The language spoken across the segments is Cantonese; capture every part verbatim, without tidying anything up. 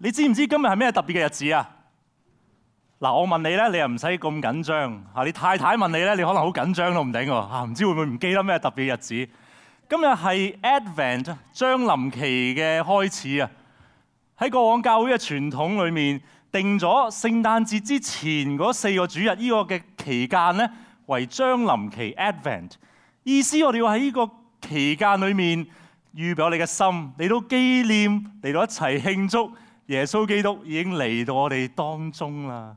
你知唔知今日係咩特別嘅日子啊？嗱，我問你咧，你又唔使咁緊張嚇。你太太問你咧，你可能好緊張都唔定喎嚇，唔知會唔會唔記得咩特別嘅日子？今日係 Advent 將臨期嘅開始啊！喺過往教會嘅傳統裏面，定咗聖誕節之前嗰四個主日呢個嘅期間咧，為將臨期 Advent。意思我哋要喺呢個期間裏面預備我哋嘅心，嚟到紀念，嚟到一齊慶祝耶穌基督已經嚟到我哋當中啦。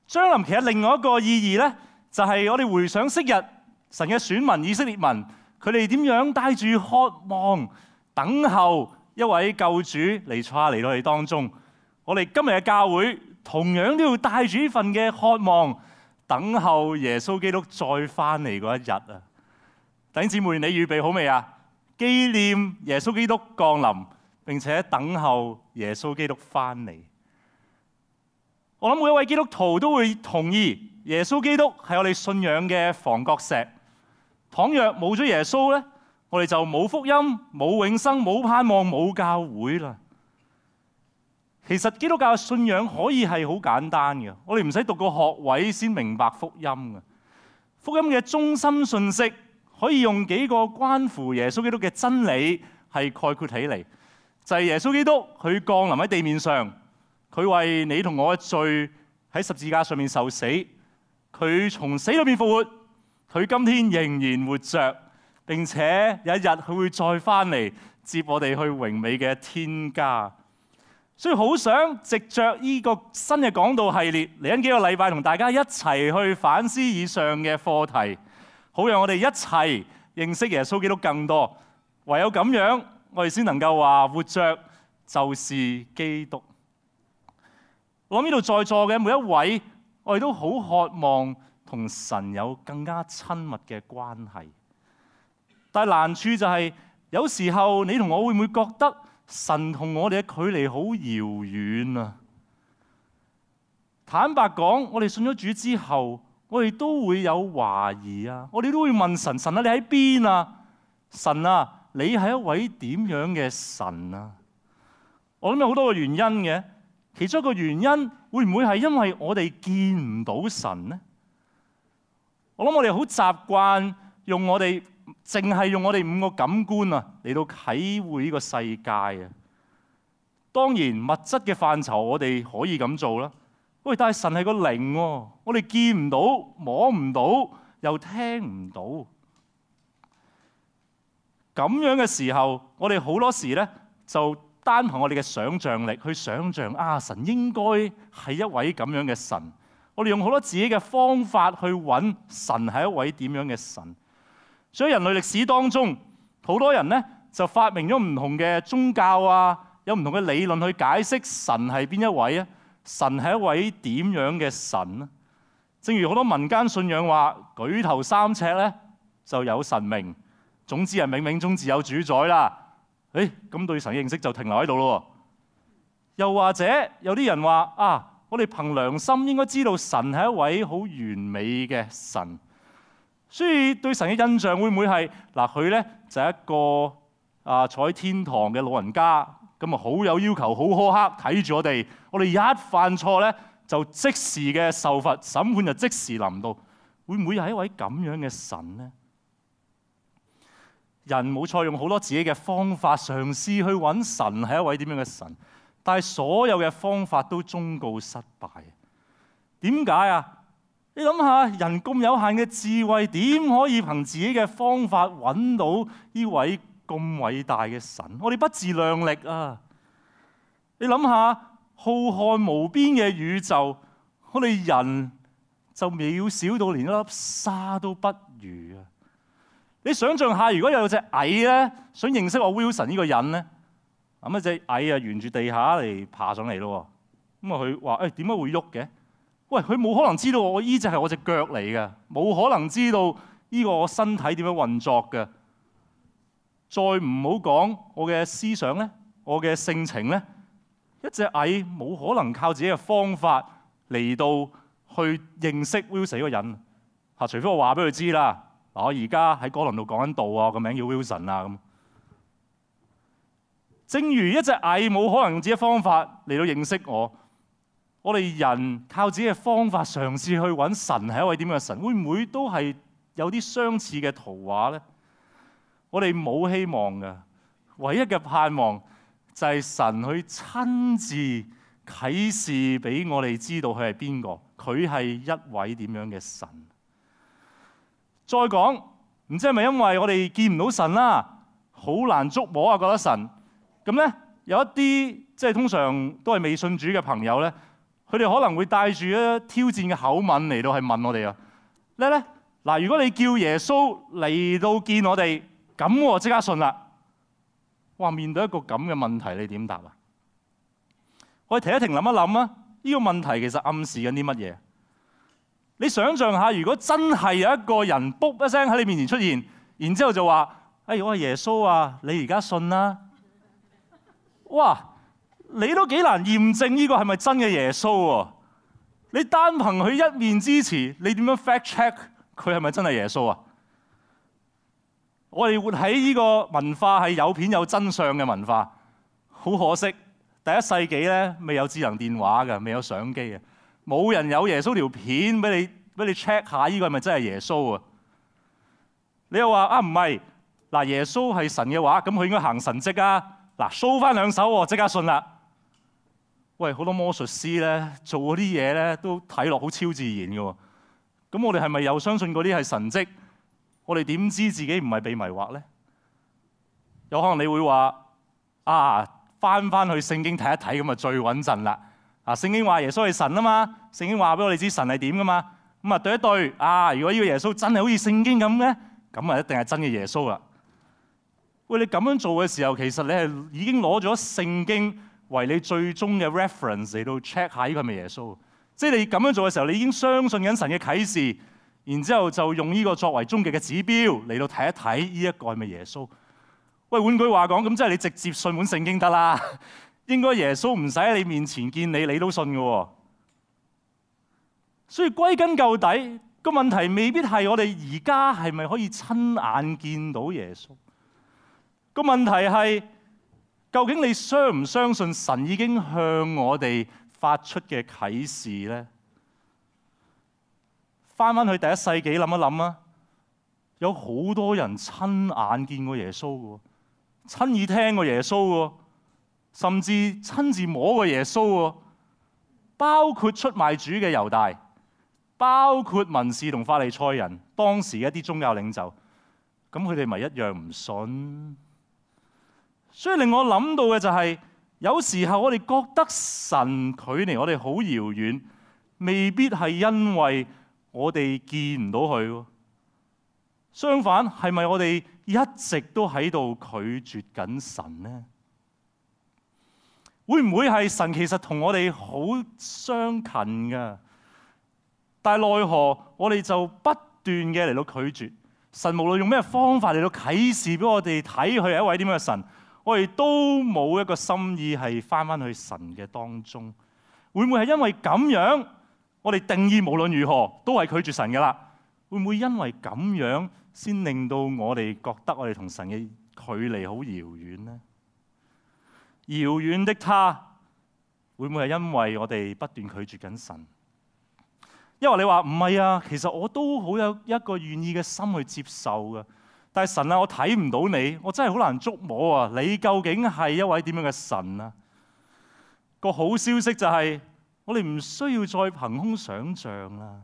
將臨期嘅另外一個意義咧，就係我哋回想昔日神嘅選民以色列民，佢哋點樣帶住渴望等候一位救主彌賽亞嚟到我哋當中。我哋今日嘅教會同樣都要帶住呢份嘅渴望，等候耶穌基督再翻嚟嗰一日啊！弟兄姊妹，你預備好未啊？紀念耶穌基督降臨，並且等候耶穌基督翻嚟。我諗每一位基督徒都會同意，耶穌基督係我哋信仰嘅房角石。倘若冇咗耶穌咧，我哋就冇福音、冇永生、冇盼望、冇教會啦。其實基督教嘅信仰可以係好簡單嘅，我哋唔使讀個學位先明白福音嘅。福音嘅中心信息可以用幾個關乎耶穌基督嘅真理係概括起嚟，就係耶穌基督佢降臨喺地面上，佢為你同我嘅罪喺十字架上面受死，佢從死裏面復活，佢今天仍然活着，並且有一日佢會再翻嚟接我哋去榮美嘅天家。所以好想藉着呢個新嘅講道系列，嚟緊幾個禮拜同大家一齊去反思以上嘅課題，好讓我哋一齊認識耶穌基督更多。唯有咁樣，我哋先能夠話活着就是基督。我諗呢度在座嘅每一位，我哋都好渴望同神有更加親密嘅關係。但係難處就係，有時候你同我會唔會覺得神同我哋嘅距離好遙遠啊？坦白講，我哋信咗主之後，我哋都會有懷疑啊！我哋都會問神：神啊，你喺邊啊？神啊，你係一位點樣嘅神啊？我諗有好多個原因嘅，其中一個原因會唔會係因為我哋見唔到神呢？我諗我哋好習慣用我哋淨係用我哋五個感官啊嚟到體會呢個世界啊。當然物質嘅範疇我哋可以咁做啦。喂，但係神係個靈喎，我哋見唔到、摸唔到，又聽唔到。咁樣嘅時候，我哋好多時咧就單憑我哋嘅想像力去想像啊，神應該係一位咁樣嘅神。我哋用好多自己嘅方法去揾神係一位點樣嘅神。所以人類歷史當中，好多人咧就發明咗唔同嘅宗教啊，有唔同嘅理論去解釋神係邊一位啊？神係一位點樣嘅神啊？正如好多民間信仰話，舉頭三尺咧就有神明，總之係冥冥中自有主宰啦。誒，咁對神嘅認識就停留喺度咯。又或者有啲人話啊，我哋憑良心應該知道神係一位好完美嘅神。所以對神嘅印象會唔會係嗱，佢咧就係一個啊坐喺天堂嘅老人家，咁啊好有要求，好苛刻睇住我哋，我哋一犯錯咧就即時嘅受罰，審判就即時臨到，會唔會係一位咁樣嘅神呢？人冇錯，用好多自己嘅方法嘗試去揾神係一位點樣嘅神，但係所有嘅方法都終告失敗。點解啊？你諗下，人咁有限嘅智慧，點可以憑自己嘅方法揾到呢位咁偉大嘅神？我哋不自量力啊！你諗下，浩瀚無邊嘅宇宙，我哋人就渺小到連一粒沙都不如啊！你想象下，如果有隻蟻咧，想認識我 Wilson 呢個人咧，咁啊隻蟻啊沿住地下嚟爬上嚟咯，咁啊佢話：誒點解會喐嘅？喂，佢冇可能知道我依隻係我隻腳嚟嘅，冇可能知道呢個我身體點樣運作嘅。再唔好講我嘅思想咧，我嘅性情咧，一隻蟻冇可能靠自己嘅方法嚟到去認識 Wilson 呢個人嚇，除非我話俾佢知啦。嗱，我而家喺哥倫度講緊道啊，個名叫 Wilson 啊咁。正如一隻蟻冇可能用自己嘅方法嚟到認識我，我哋人靠自己嘅方法嘗試去揾神係一位點樣嘅神，會唔會都係有啲相似嘅圖畫呢？我哋冇希望嘅，唯一嘅盼望就係神去親自啟示俾我哋知道佢係邊個，佢係一位點樣嘅神。再講，唔知係咪因為我哋見唔到神啦，好難捉摸啊，覺得神咁咧，有一啲即係通常都係未信主嘅朋友咧，佢哋可能會帶住一挑戰嘅口吻嚟到係問我哋啊，咧咧嗱，如果你叫耶穌嚟到見我哋，咁我即刻信啦。哇！面對一個咁嘅問題，你點答啊？我哋停一停，諗一諗啊！呢個問題其實暗示緊啲乜嘢？你想象下，如果真係有一個人卜一聲喺你面前出現，然之後就話：哎，我係耶穌啊！你而家信啦！哇！你都幾難驗證呢個係咪真嘅耶穌喎？你單憑佢一面之詞，你點樣 fact check 佢係咪真係耶穌啊？我哋活喺呢個文化係有片有真相嘅文化，好可惜，第一世紀咧未有智能電話嘅，未有相機嘅，冇人有耶穌條片俾你俾你 check 下呢個係咪真係耶穌啊？你又話啊唔係，嗱耶穌係神嘅話，咁佢應該行神蹟啊！嗱 show 翻兩手喎，即刻信啦！喂，好多魔術師咧做嗰啲嘢咧都睇落好超自然嘅喎，咁我哋係咪又相信嗰啲係神蹟？我哋點知自己唔係被迷惑呢？有可能你會話啊，翻翻去聖經睇一睇咁啊最穩陣啦！啊，聖經話耶穌係神啊嘛，聖經話俾我哋知神係點噶嘛，咁啊對一對啊，如果呢個耶穌真係好似聖經咁咧，咁啊一定係真嘅耶穌啦！喂，你咁樣做嘅時候，其實你係已經攞咗聖經為你最終嘅 reference 嚟到 check 下呢個係咪耶穌？即係你咁樣做嘅時候，你已經相信緊神嘅啟示。然之後就用呢個作為終極嘅指標嚟到睇一睇呢一個係咪耶穌？喂，換句話講，咁即係你直接信本聖經得啦。應該耶穌唔使喺你面前見你，你都信嘅喎。所以歸根究底，個問題未必係我哋而家係咪可以親眼見到耶穌？個問題係究竟你相唔相信神已經向我哋發出嘅啟示呢？翻返去第一世紀諗一諗啊，有好多人親眼見過耶穌嘅，親耳聽過耶穌嘅，甚至親自摸過耶穌嘅，包括出賣主嘅猶大，包括文士同法利賽人，當時一啲宗教領袖，咁佢哋咪一樣唔信？所以令我諗到嘅就係，有時候我哋覺得神距離我哋好遙遠，未必係因為我哋見唔到佢，相反係咪我哋一直都喺度拒絕緊神呢？會唔會係神其實同我哋好相近噶？但係奈何我哋就不斷嘅嚟到拒絕神，無論用咩方法嚟到啟示俾我哋睇佢係一位點樣嘅神，我哋都冇一個心意係翻返去神嘅當中。會唔會係因為咁樣？我哋定義無論如何都係拒絕神嘅啦，會唔會因為咁樣先令到我哋覺得我哋同神嘅距離好遙遠呢？遙遠的他，會唔會係因為我哋不斷拒絕緊神？因為你話唔係啊，其實我都好有一個願意嘅心去接受嘅，但係神啊，我睇唔到你，我真係好難捉摸啊！你究竟係一位點樣嘅神啊？個好消息就係，我哋唔需要再憑空想像啦，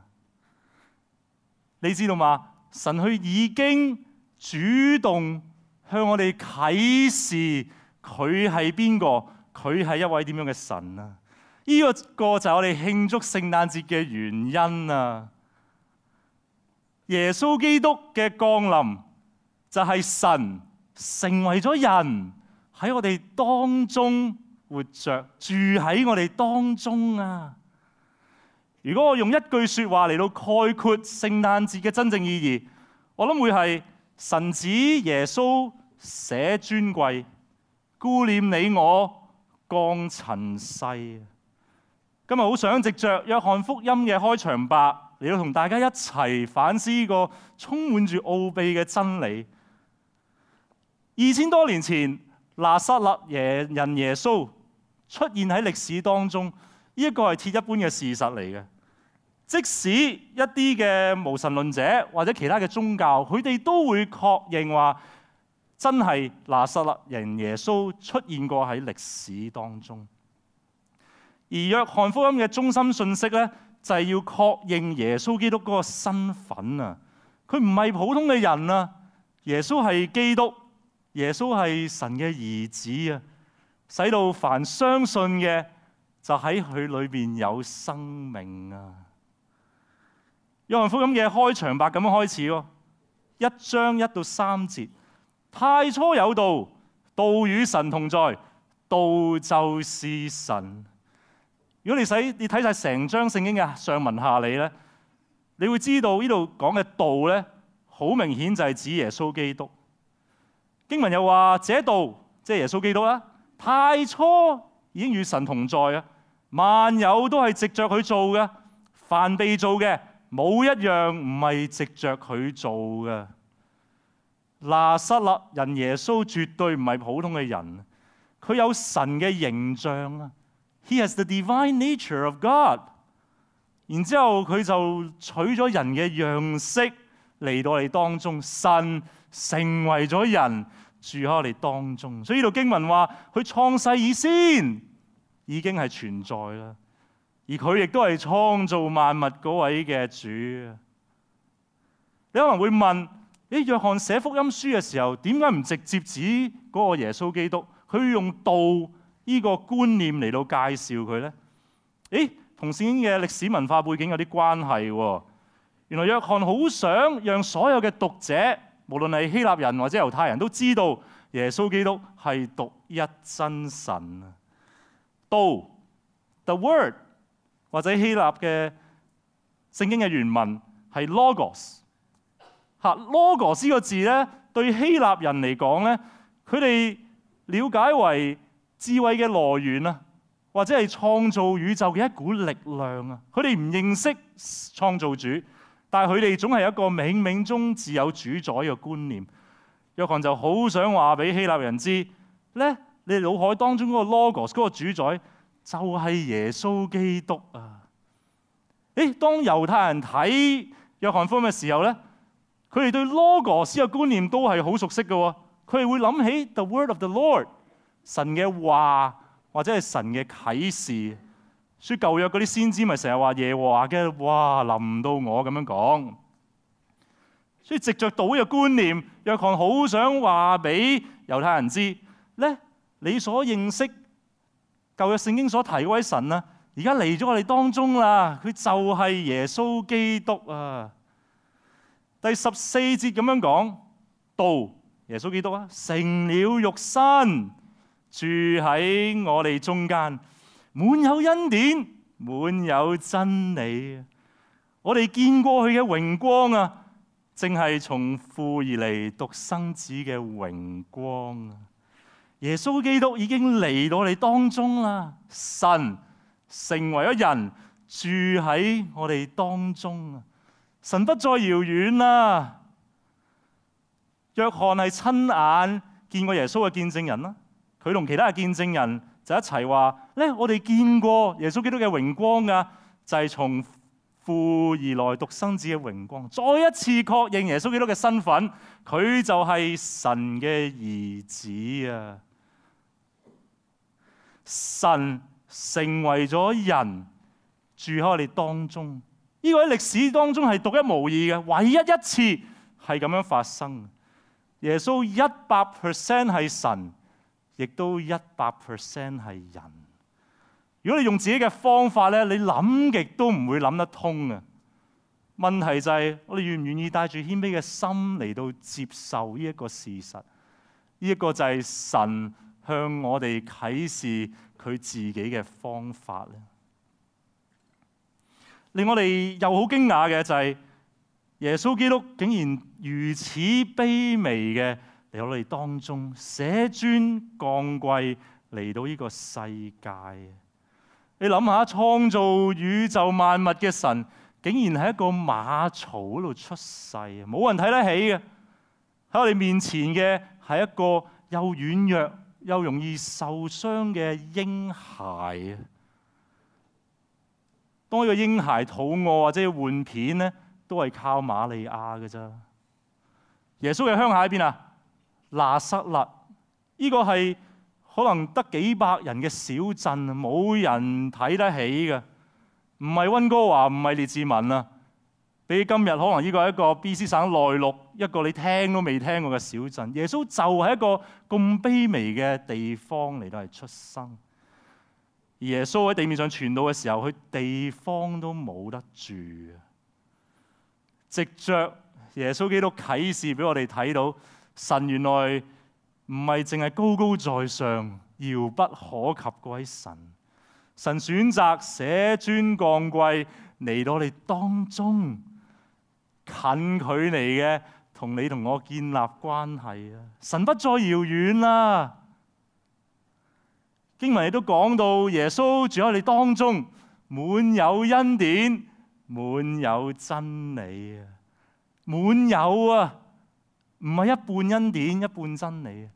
你知道嗎？神佢已經主動向我哋啟示佢係邊個，佢係一位點樣嘅神啊！呢個個就係我哋慶祝聖誕節嘅原因啊！耶穌基督嘅降臨就係神成為咗人喺我哋當中。活着住喺我哋當中啊！如果我用一句說話嚟到概括聖誕節嘅真正意義，我諗會係神子耶穌捨尊貴，顧念你我降塵世。今日好想藉着約翰福音嘅開場白嚟到同大家一齊反思呢個充滿住奧秘嘅真理。二千多年前，拿撒勒人耶穌出現喺歷史當中，呢一個係鐵一般嘅事實嚟嘅。即使一啲嘅無神論者或者其他嘅宗教，佢哋都會確認話真係拿撒勒人耶穌出現過喺歷史當中。而約翰福音嘅中心信息咧，就係要確認耶穌基督嗰個身份啊！佢唔係普通嘅人啊！耶穌係基督，耶穌係神嘅兒子啊！使到凡相信嘅就喺佢裏邊有生命啊！約翰福音嘅開場白咁樣開始喎，一章一到三節，太初有道，道與神同在，道就是神。如果你使你睇晒成章聖經嘅上文下理咧，你會知道呢度講嘅道咧，好明顯就係指耶穌基督。經文又話，這道即係耶穌基督啦，太初已經與神同在啊，萬有都係藉着佢做嘅，凡被做嘅冇一樣唔係藉着佢做嘅。拿撒勒人耶穌絕對唔係普通嘅人，佢有神嘅形象啊。He has the divine nature of God。然之後佢就取咗人嘅樣式嚟到我哋當中，神成為咗人住喺我哋當中。所以呢度經文話，佢創世以先已經係存在啦，而佢亦都係創造萬物嗰位嘅主。你可能會問：誒，約翰寫福音書嘅時候，點解唔直接指嗰個耶穌基督？佢用道呢個觀念嚟到介紹佢呢？誒，同聖經嘅歷史文化背景有啲關係喎。原來約翰好想讓所有嘅讀者，無論係希臘人或者猶太人都知道耶穌基督係獨一真神。道 The Word 或者希臘嘅聖經嘅原文係 Logos。嚇 Logos 呢個字咧，對希臘人嚟講咧，佢哋了解為智慧嘅來源啊，或者係創造宇宙嘅一股力量啊。佢哋唔認識創造主，但係佢哋總係一個冥冥中自有主宰嘅觀念。約翰就好想話俾希臘人知咧，你哋腦海當中嗰個 Logos 嗰個主宰就係耶穌基督啊！誒，當猶太人睇約翰福音嘅時候咧，佢哋對 Logos 嘅觀念都係好熟悉嘅喎。佢哋會諗起 The Word of the Lord， 神嘅話或者係神嘅啟示。所以舊約嗰啲先知咪成日話耶和華嘅話臨到我咁樣講。所以藉着道嘅觀念，約翰好想話俾猶太人知咧，你所認識舊約聖經所提嗰位神啊，而家嚟咗我哋當中啦，佢就係耶穌基督啊！第十四節咁樣講，道耶穌基督啊，成了肉身，住喺我哋中間，滿有恩典，滿有真理。我哋見過佢嘅榮光啊，正係從父而嚟獨生子嘅榮光啊！耶穌基督已經嚟到我哋當中啦，神成為咗人，住喺我哋當中啊！神不再遙遠啦。約翰係親眼見過耶穌嘅見證人啦，佢同其他嘅見證人就一齊話咧，我哋見過耶穌基督嘅榮光啊，就係從父而來獨生子嘅榮光。再一次確認耶穌基督嘅身份，佢就係神嘅兒子啊！神成為咗人，住喺我哋當中。呢個喺歷史當中係獨一無二嘅，唯一一次係咁樣發生。耶穌一百 percent 係神，亦都一百 percent 係人。如果你用自己嘅方法咧，你諗極都唔會諗得通嘅。問題就係我哋願唔願意帶住謙卑嘅心嚟到接受呢一個事實？呢一個就係神向我哋啟示佢自己嘅方法咧。令我哋又好驚訝嘅就係耶穌基督竟然如此卑微嘅嚟到我哋當中，捨尊降貴嚟到呢個世界。你諗下，創造宇宙萬物嘅神，竟然喺一個馬槽嗰度出世，冇人睇得起嘅。喺我哋面前嘅係一個又軟弱又容易受傷嘅嬰孩啊。當呢個嬰孩肚餓或者要換片咧，都係靠瑪利亞嘅啫。耶穌嘅鄉下喺邊啊？拿撒勒，呢個係可能得幾百人嘅小鎮，冇人睇得起嘅，唔係溫哥華，唔係列治文啊。比今日可能呢個係一個 B C 省內陸一個你聽都未聽過嘅小鎮。耶穌就係一個咁卑微嘅地方嚟到係出生。而耶穌喺地面上傳道嘅時候，佢地方都冇得住。藉着耶穌基督啟示俾我哋睇到，神原來唔係淨係高高在上、遙不可及嗰位神。神選擇捨尊降貴嚟到我哋當中，近距離嘅同你同我建立關係啊！神不再遙遠啦。經文亦都講到耶穌住喺你當中，滿有恩典，滿有真理啊！滿有啊，唔係一半恩典一半真理，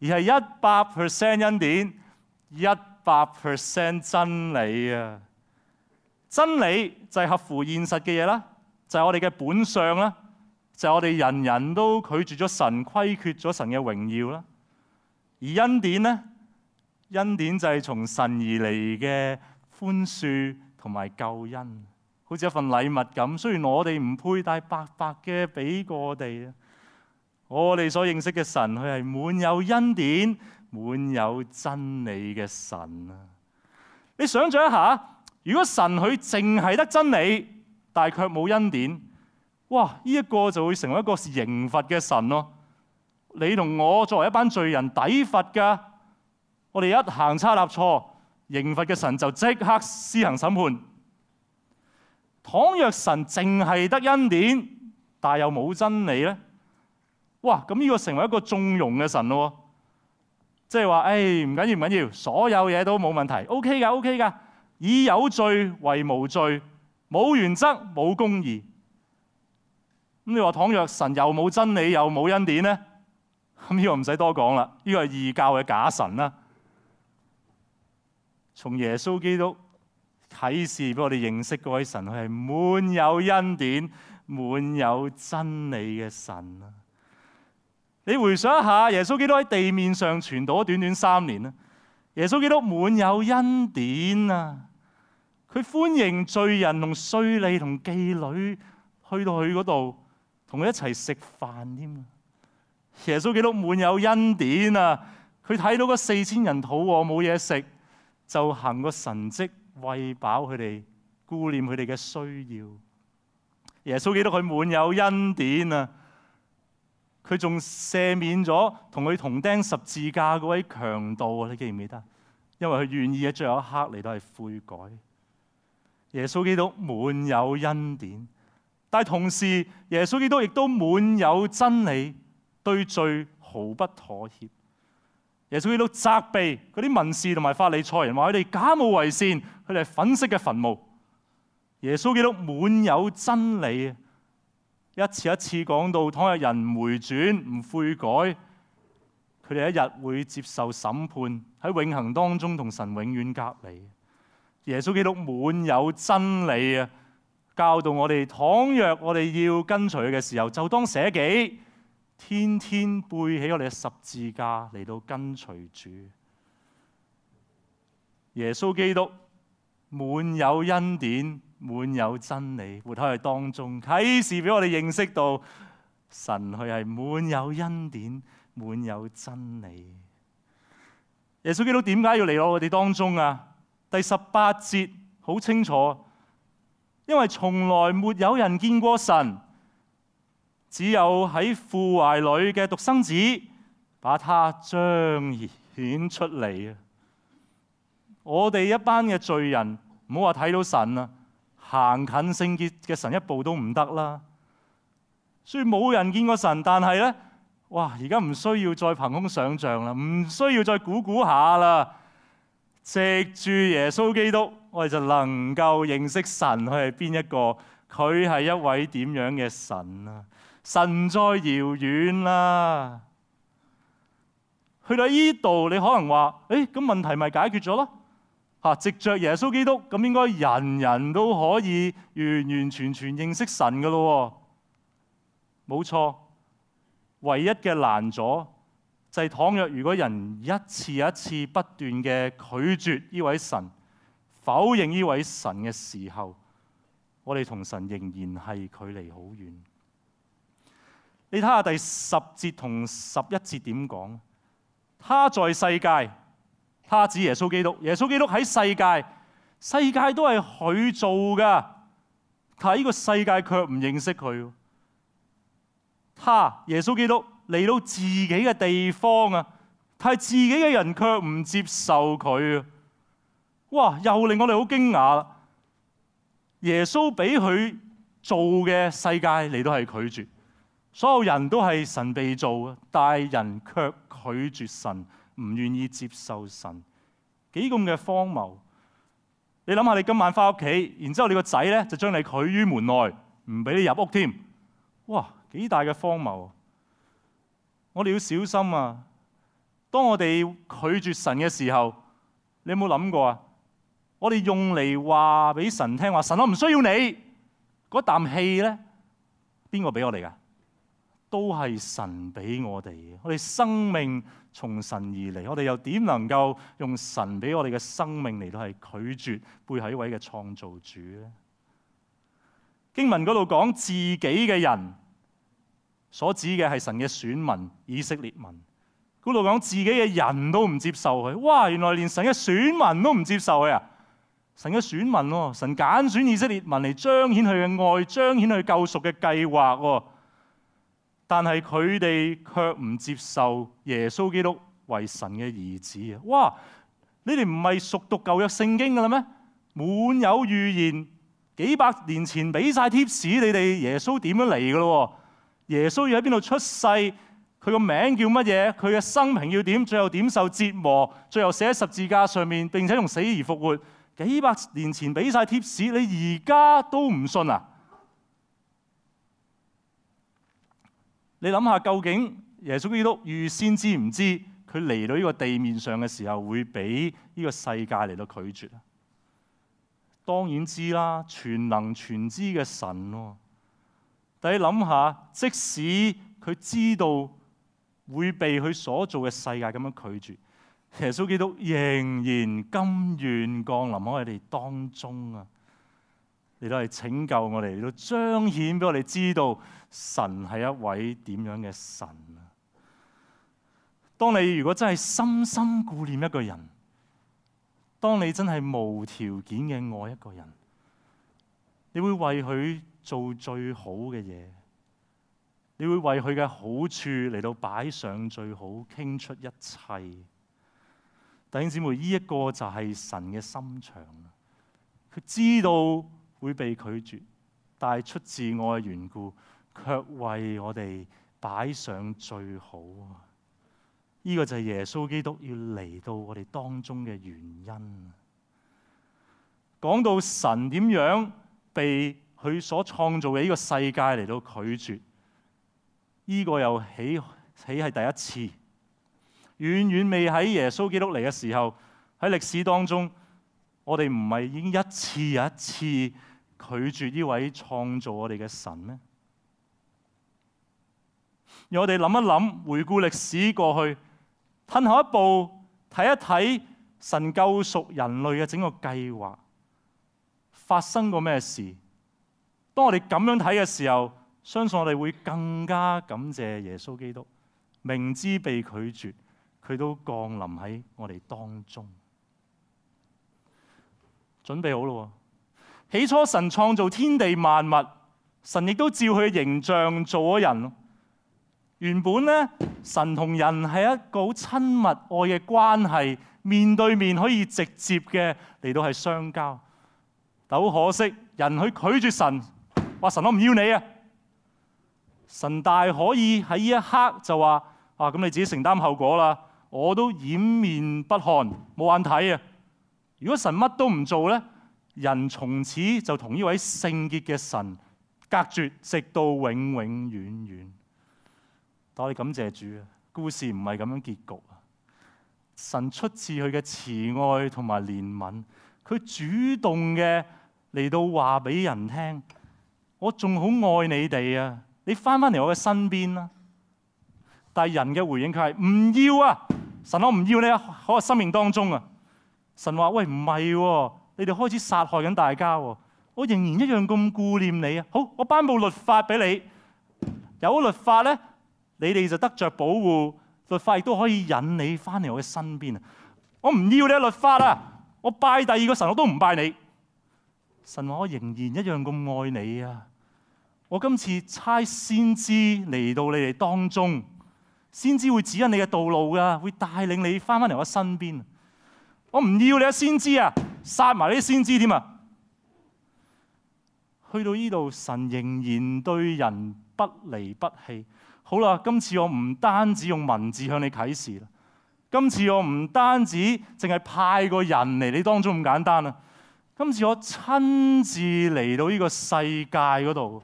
而係一百 percent 恩典，一百 percent 真理啊！真理就係合乎現實嘅嘢啦，就係我哋嘅本相啦，就係我哋人人都拒絕咗神，虧缺咗神嘅榮耀啦。而恩典呢？恩典就係從神而嚟嘅寬恕同埋救恩，好似一份禮物咁。雖然我哋唔配，但係白白嘅俾過我哋啊！我哋所認識嘅神，佢係滿有恩典、滿有真理嘅神啊！你想象一下，如果神佢淨係得真理，但係卻冇恩典，哇！呢一個就會成為一個刑罰嘅神咯。你同我作為一班罪人抵罰㗎。我哋一行差踏錯，刑罰嘅神就即刻施行審判。倘若神淨係得恩典，但又冇真理咧，哇！咁呢個成為一個縱容嘅神咯。即係話，誒唔緊要唔緊要，所有嘢都冇問題 ，OK 㗎 OK 㗎，以有罪為無罪，冇原則冇公義。咁你話倘若神又冇真理又冇恩典咧，咁呢個唔使多講啦，呢個係異教嘅假神啦。從耶穌基督啟示俾我哋認識嗰位神，佢係滿有恩典、滿有真理嘅神啊！你回想一下，耶穌基督喺地面上傳道咗短短三年啦。耶穌基督滿有恩典啊！佢歡迎罪人同稅吏同妓女去到佢嗰度，同佢一齊食飯添啊！耶穌基督滿有恩典啊！佢睇到嗰四千人肚餓冇嘢食，就行個神蹟餵飽佢哋，顧念佢哋嘅需要。耶穌基督佢滿有恩典啊！佢仲赦免咗同佢同釘十字架嗰位強盜啊！你記唔記得？因為佢願意喺最後一刻嚟到係悔改。耶穌基督滿有恩典，但係同時耶穌基督亦都滿有真理，對罪毫不妥協。耶穌基督責備嗰啲文士同埋法利賽人，話佢哋假冒為善，佢哋係粉飾嘅墳墓。耶穌基督滿有真理，一次一次講到，倘若人唔回轉唔悔改，佢哋一日會接受審判，喺永恆當中同神永遠隔離。耶穌基督滿有真理啊，教導我哋，倘若我哋要跟隨佢嘅時候，就當捨己。天天背起我哋嘅十字架嚟到跟隨主。耶穌基督滿有恩典，滿有真理，活喺佢當中，啟示俾我哋認識到神佢係滿有恩典，滿有真理。耶穌基督點解要嚟到我哋當中啊？第十八節好清楚，因為從來沒有人見過神。只有喺父懷裏嘅獨生子，把他彰顯出嚟啊！我哋一班嘅罪人，唔好話睇到神啊，行近聖潔嘅神一步都唔得啦。所以冇人見過神，但係咧，哇！而家唔需要再憑空想像啦，唔需要再估估下啦。藉住耶穌基督，我哋就能夠認識神佢係邊一個，佢係一位點樣嘅神啊！神唔再遙遠啦，去到呢度，你可能話：誒，咁問題咪解決咗咯？嚇，藉着耶穌基督，咁應該人人都可以完完全全認識神噶咯。冇錯，唯一嘅難阻就係倘若如果人一次一次不斷嘅拒絕呢位神、否認呢位神嘅時候，我哋同神仍然係距離好遠。你睇下第十節同十一節點講？他在世界，他指耶穌基督。耶穌基督喺世界，世界都係佢做噶，但係呢個世界卻唔認識佢。他耶穌基督嚟到自己嘅地方啊，但係自己嘅人卻唔接受佢啊！哇，又令我哋好驚訝啦！耶穌俾佢做嘅世界嚟到係拒絕，所有人都係神被造嘅，但係人卻拒絕神，唔願意接受神，幾咁嘅荒謬！你諗下，你今晚翻屋企，然之後你個仔咧就將你拒於門外，唔俾你入屋添，哇！幾大嘅荒謬！我哋要小心啊！當我哋拒絕神嘅時候，你有冇諗過啊？我哋用嚟話俾神聽話，神我唔需要你嗰啖氣咧，邊個俾我哋噶？都係神俾我哋嘅。我哋生命從神而嚟，我哋又點能夠用神俾我哋嘅生命嚟到係拒絕背後一位嘅創造主咧？經文嗰度講自己嘅人，所指嘅係神嘅選民以色列民。嗰度講自己嘅人都唔接受佢，哇！原來連神嘅選民都唔接受佢啊！神嘅選民喎，神揀選以色列民嚟彰顯佢嘅愛，彰顯佢救贖嘅計劃喎。但係佢哋卻唔接受耶穌基督為神嘅兒子啊！哇！你哋唔係熟讀舊約聖經㗎啦咩？滿有預言，幾百年前俾晒貼士你哋耶穌點樣嚟㗎咯？耶穌要喺邊度出世？佢個名叫乜嘢？佢嘅生平要點？最後點受折磨？最後寫喺十字架上面，並且用死而復活。幾百年前俾晒貼士，你而家都唔信啊？你諗下，究竟耶穌基督預先知唔知佢嚟到呢個地面上嘅時候會俾呢個世界嚟到拒絕啊？當然知啦，全能全知嘅神喎。但你諗下，即使佢知道會被佢所做嘅世界咁樣拒絕，耶穌基督仍然甘願降臨喺我哋當中啊！嚟到係拯救我哋，嚟到彰顯俾我哋知道神係一位點樣嘅神啊！當你如果真係深深顧念一個人，當你真係無條件嘅愛一個人，你會為佢做最好嘅嘢，你會為佢嘅好處嚟到擺上最好，傾出一切。弟兄姊妹，呢一個就係神嘅心腸。佢知道會被拒絕，但係出自愛嘅緣故，卻為我哋擺上最好。呢個就係耶穌基督要嚟到我哋當中嘅原因。講到神點樣被佢所創造嘅呢個世界嚟到拒絕，呢個又起起係第一次。遠遠未喺耶穌基督嚟嘅時候，喺歷史當中，我哋唔係已經一次又一次拒絕呢位創造我哋嘅神咩？讓我哋諗一諗，回顧歷史過去，退後一步睇一睇神救贖人類嘅整個計劃發生過咩事？當我哋咁樣睇嘅時候，相信我哋會更加感謝耶穌基督，明知被拒絕，佢都降臨喺我哋當中。準備好咯！起初神創造天地萬物，神亦都照佢嘅形象做咗人。原本咧，神同人係一個好親密愛嘅關係，面對面可以直接嘅嚟到係相交。但好可惜，人去拒絕神，話神我唔要你啊！神大可以喺呢一刻就話啊，咁你自己承擔後果啦，我都掩面不看，冇眼睇啊！如果神乜都唔做咧，人從此就同呢位聖潔嘅神隔絕，直到永永遠遠。但我哋感謝主啊，故事唔係咁樣結局啊！神出自佢嘅慈愛同埋憐憫，佢主動嘅嚟到話俾人聽，我仲好愛你哋啊！你翻返嚟我嘅身邊啦。但係人嘅回應佢係唔要啊！神，我唔要你喺我生命當中啊！神話，喂，唔係喎，你哋開始殺害緊大家喎，我仍然一樣咁顧念你啊！好，我頒布律法俾你，有律法咧，你哋就得着保護，律法亦都可以引你翻嚟我嘅身邊啊！我唔要你嘅律法啊！我拜第二個神我都唔拜你。神話，我仍然一樣咁愛你啊！我今次差先知嚟到你哋當中，先知會指引你嘅道路噶，會帶領你翻返嚟我身邊。我唔要你嘅先知啊，殺埋你啲先知添啊！去到呢度，神仍然對人不離不棄。好啦，今次我唔單止用文字向你啟示啦，今次我唔單止淨係派個人嚟你當中咁簡單啦，今次我親自嚟到呢個世界嗰度，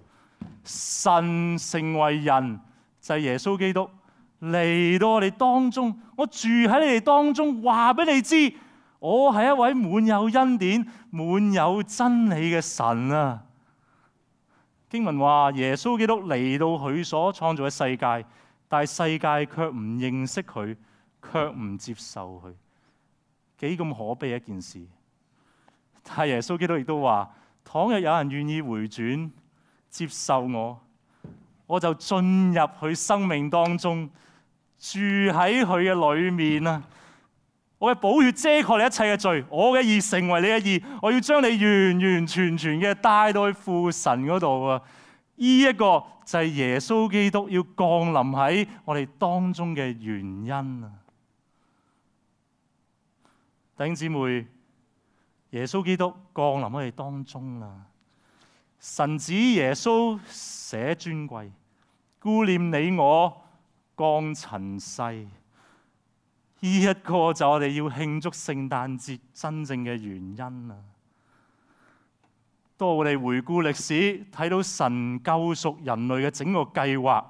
神成為人就係耶穌基督嚟到我哋當中，我住喺你哋當中，話俾你知，我係一位滿有恩典、滿有真理嘅神啊！經文話耶穌基督嚟到佢所創造嘅世界，但係世界卻唔認識佢，卻唔接受佢，幾咁可悲一件事。但係耶穌基督亦都話，倘若有人願意回轉接受我，我就進入佢生命當中，住喺佢嘅裏面啊！我嘅寶血遮蓋你一切嘅罪，我嘅義成為你嘅義，我要將你完完全全嘅帶到去父神嗰度啊！呢、這、一個就係耶穌基督要降臨喺我哋當中嘅原因啊！弟兄姊妹，耶穌基督降臨喺我哋當中啦！神子耶穌捨尊貴，顧念你我，降塵世。呢、這、一個就我哋要慶祝聖誕節真正嘅原因啊！當我哋回顧歷史，睇到神救贖人類嘅整個計劃，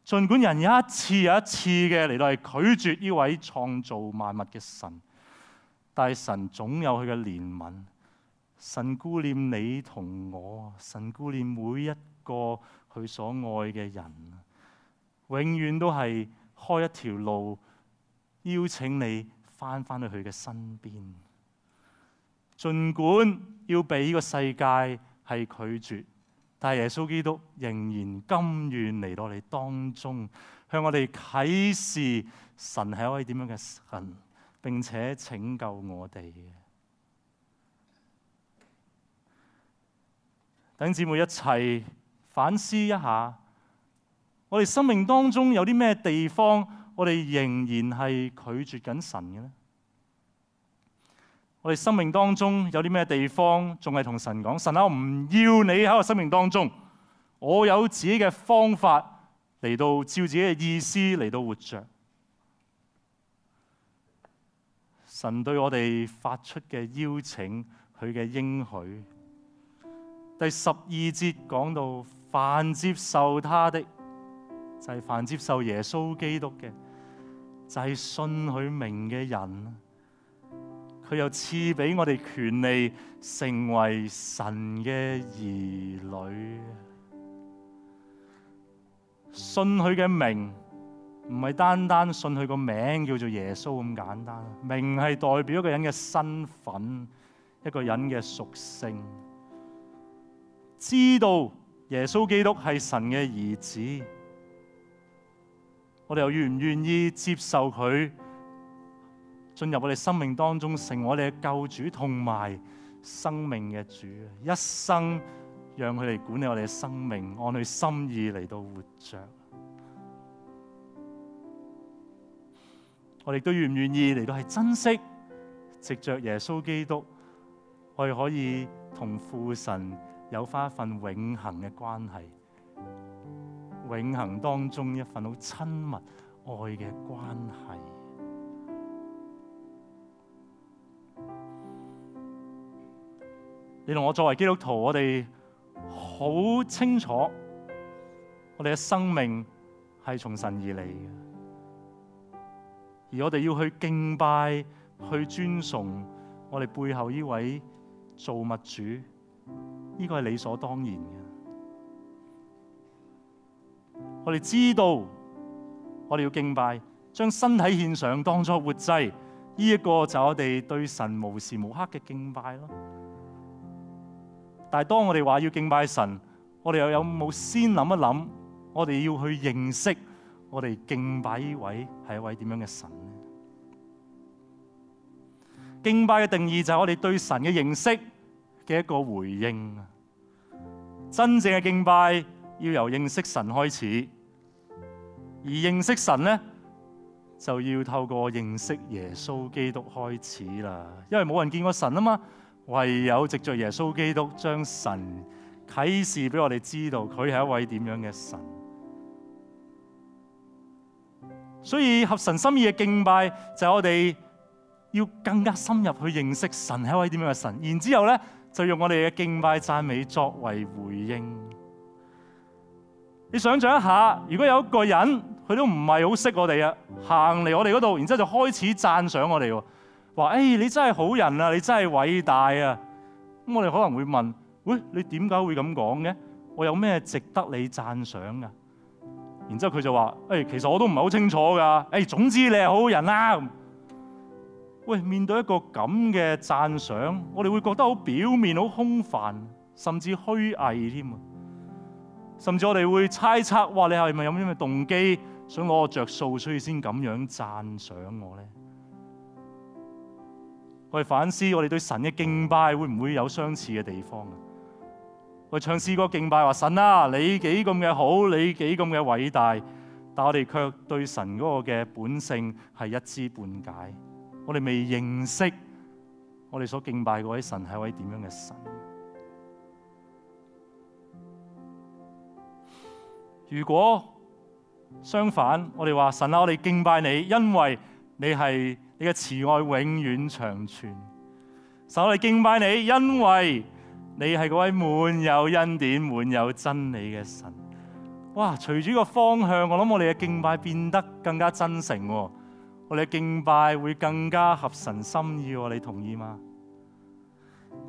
儘管人有一次又一次嘅嚟到係拒絕呢位創造萬物嘅神，但係神總有佢嘅憐憫。神顧念你同我，神顧念每一個佢所愛嘅人，永遠都係開一條路，邀請你翻返去佢嘅身邊。儘管要俾呢個世界係拒絕，但係耶穌基督仍然甘願嚟到我哋當中，向我哋啟示神係一位點樣嘅神，並且拯救我哋嘅。弟兄姊妹一齊反思一下，我哋生命當中有啲咩地方，我哋仍然係拒絕緊神嘅呢？我哋生命當中有啲咩地方仲係同神講：神啊，我唔要你喺我生命當中，我有自己嘅方法嚟到照自己嘅意思嚟到活着。神對我哋發出嘅邀請，佢嘅應許。第十二節講到，凡接受他的，就係、是、凡接受耶穌基督嘅，就係、是、信佢名嘅人。佢又賜俾我哋權利，成為神嘅兒女。信佢嘅名，唔係單單信佢個名叫做耶穌咁簡單。名係代表一個人嘅身份，一個人嘅屬性。知道耶穌基督係神嘅兒子，我哋又願唔願意接受佢進入我哋生命當中，成為我哋嘅救主同埋生命嘅主，一生讓佢嚟管理我哋嘅生命，按佢心意嚟到活着。我哋都願唔願意嚟到係珍惜，藉着耶穌基督，我哋可以同父神有翻一份永恆嘅關係，永恆當中一份好親密愛嘅關係。你同我作為基督徒，我哋好清楚，我哋嘅生命係從神而嚟嘅。而我哋要去敬拜、去尊崇我哋背後呢位造物主，呢個係理所當然嘅。我哋知道，我哋要敬拜，將身體獻上當作活祭，呢一個就係我哋對神無時無刻嘅敬拜咯。但係當我哋話要敬拜神，我哋又有冇先諗一諗，我哋要去認識我哋敬拜呢位係一位點樣嘅神呢？敬拜嘅定義就係我哋對神嘅認識嘅一個回應。真正嘅敬拜要由認識神開始，而認識神呢，就要透過認識耶穌基督開始啦。因為冇人見過神啊嘛，唯有藉着耶穌基督將神啟示俾我哋知道，佢係一位點樣嘅神。所以合神心意嘅敬拜就係我哋要更加深入去認識神係一位點樣嘅神，然之後咧就用我哋嘅敬拜讚美作為回應。你想象一下，如果有一個人佢都唔係好識我哋啊，行嚟我哋嗰度，然之後就開始讚賞我哋，話：誒，你真係好人啊，你真係偉大啊！咁我哋可能會問：喂，你點解會咁講嘅？我有咩值得你讚賞噶？然之後佢就話：誒，其實我都唔係好清楚噶。誒，總之你係好人啦。喂，面對一個咁嘅讚賞，我哋會覺得好表面、好空泛，甚至虛偽添啊！甚至我哋會猜測：哇，你係咪有咩嘅動機，想攞我着數，所以先咁樣讚賞我咧？我哋反思，我哋對神嘅敬拜會唔會有相似嘅地方啊？我哋唱詩歌敬拜話：神啊，你幾咁嘅好，你幾咁嘅偉大，但我哋卻對神嗰個嘅本性係一知半解。我哋未認識我哋所敬拜嗰位神係一位點樣嘅神。如果相反，我哋話：神啊，我哋敬拜你，因為你係你嘅慈愛永遠長存。神，我哋敬拜你，因為你係嗰位滿有恩典、滿有真理嘅神。哇！隨住個方向，我諗我哋嘅敬拜變得更加真誠，我哋嘅敬拜會更加合神心意。你同意嗎？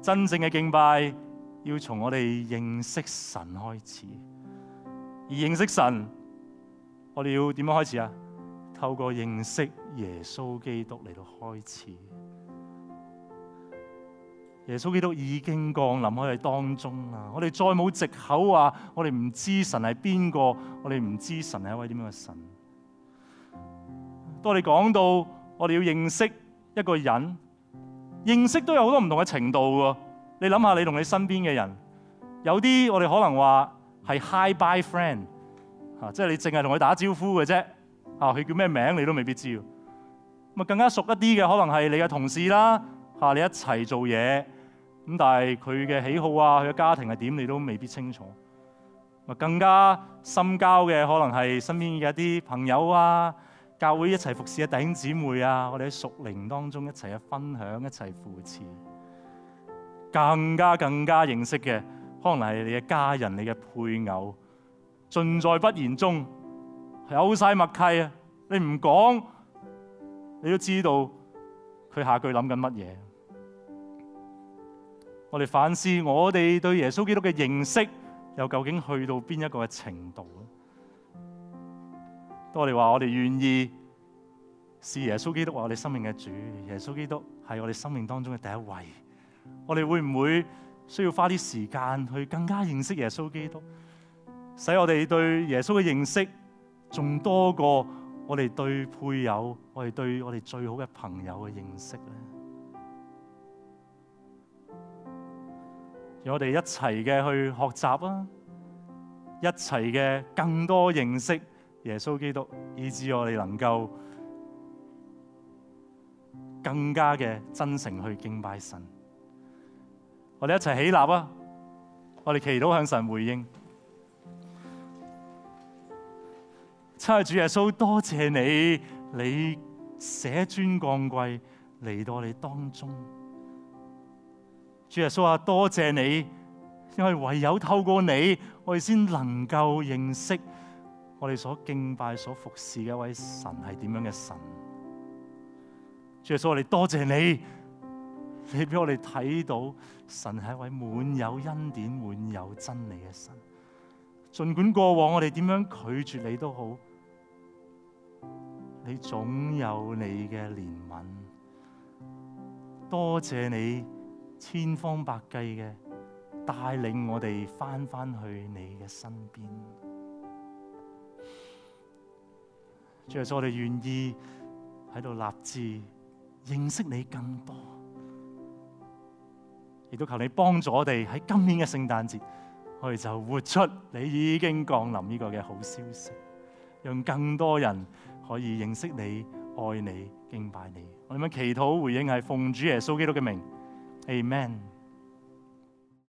真正嘅敬拜要從我哋認識神開始，而認識神，我哋要點樣開始啊？透過認識耶穌基督嚟到開始。耶穌基督已經降臨喺我哋當中啦，我哋再冇藉口話我哋唔知神係邊個，我哋唔知神係一位點樣嘅神。當我哋講到我哋要認識一個人，認識都有好多唔同嘅程度喎。你諗下，你同你身邊嘅人，有啲我哋可能話係 hi bye friend， 嚇，即係你淨係同佢打招呼嘅啫，嚇，佢叫咩名你都未必知。咁啊，更加熟一啲嘅可能係你嘅同事啦，嚇，你一齊做嘢，咁但係佢嘅喜好啊，佢嘅家庭係點，你都未必清楚。啊，更加深交嘅可能係身邊嘅一啲朋友啊，教會一齊服侍嘅弟兄姊妹啊，我哋喺屬靈當中一齊去分享，一齊扶持。更加更加認識嘅，可能係你嘅家人、你嘅配偶，盡在不言中，有晒默契啊！你唔講，你都知道佢下句諗緊乜嘢。我哋反思，我哋對耶穌基督嘅認識又究竟去到邊一個嘅程度咧？當我哋話我哋願意視耶穌基督為我哋生命嘅主，耶穌基督係我哋生命當中嘅第一位，我哋會唔會需要花啲時間去更加認識耶穌基督，使我哋對耶穌嘅認識仲多過我哋對配偶、我哋對我哋最好嘅朋友嘅認識咧？讓我哋一齊嘅去學習啊，一齊嘅更多認識耶穌基督，以致我哋能夠更加嘅真誠去敬拜神。我哋一齊起立啊！我哋祈禱向神回應。親愛主耶穌，多謝你，你捨尊降貴嚟到我哋當中。主耶穌啊，多謝你，因為唯有透過你，我哋先能夠認識我哋所敬拜、所服侍嘅一位神係點樣嘅神。主耶穌，我哋多謝你，你俾我哋睇到神係一位滿有恩典、滿有真理嘅神。儘管過往我哋點樣拒絕你都好，你總有你嘅憐憫。多謝你千方百計嘅帶領我哋返返去你嘅身邊。主耶穌，我哋願意喺度立志認識你更多，亦都求你幫助我哋喺今年嘅聖誕節，我哋就活出你已經降臨呢個嘅好消息，讓更多人可以認識你、愛你、敬拜你。我哋咁樣祈禱回應係奉主耶穌基督嘅名，Amen。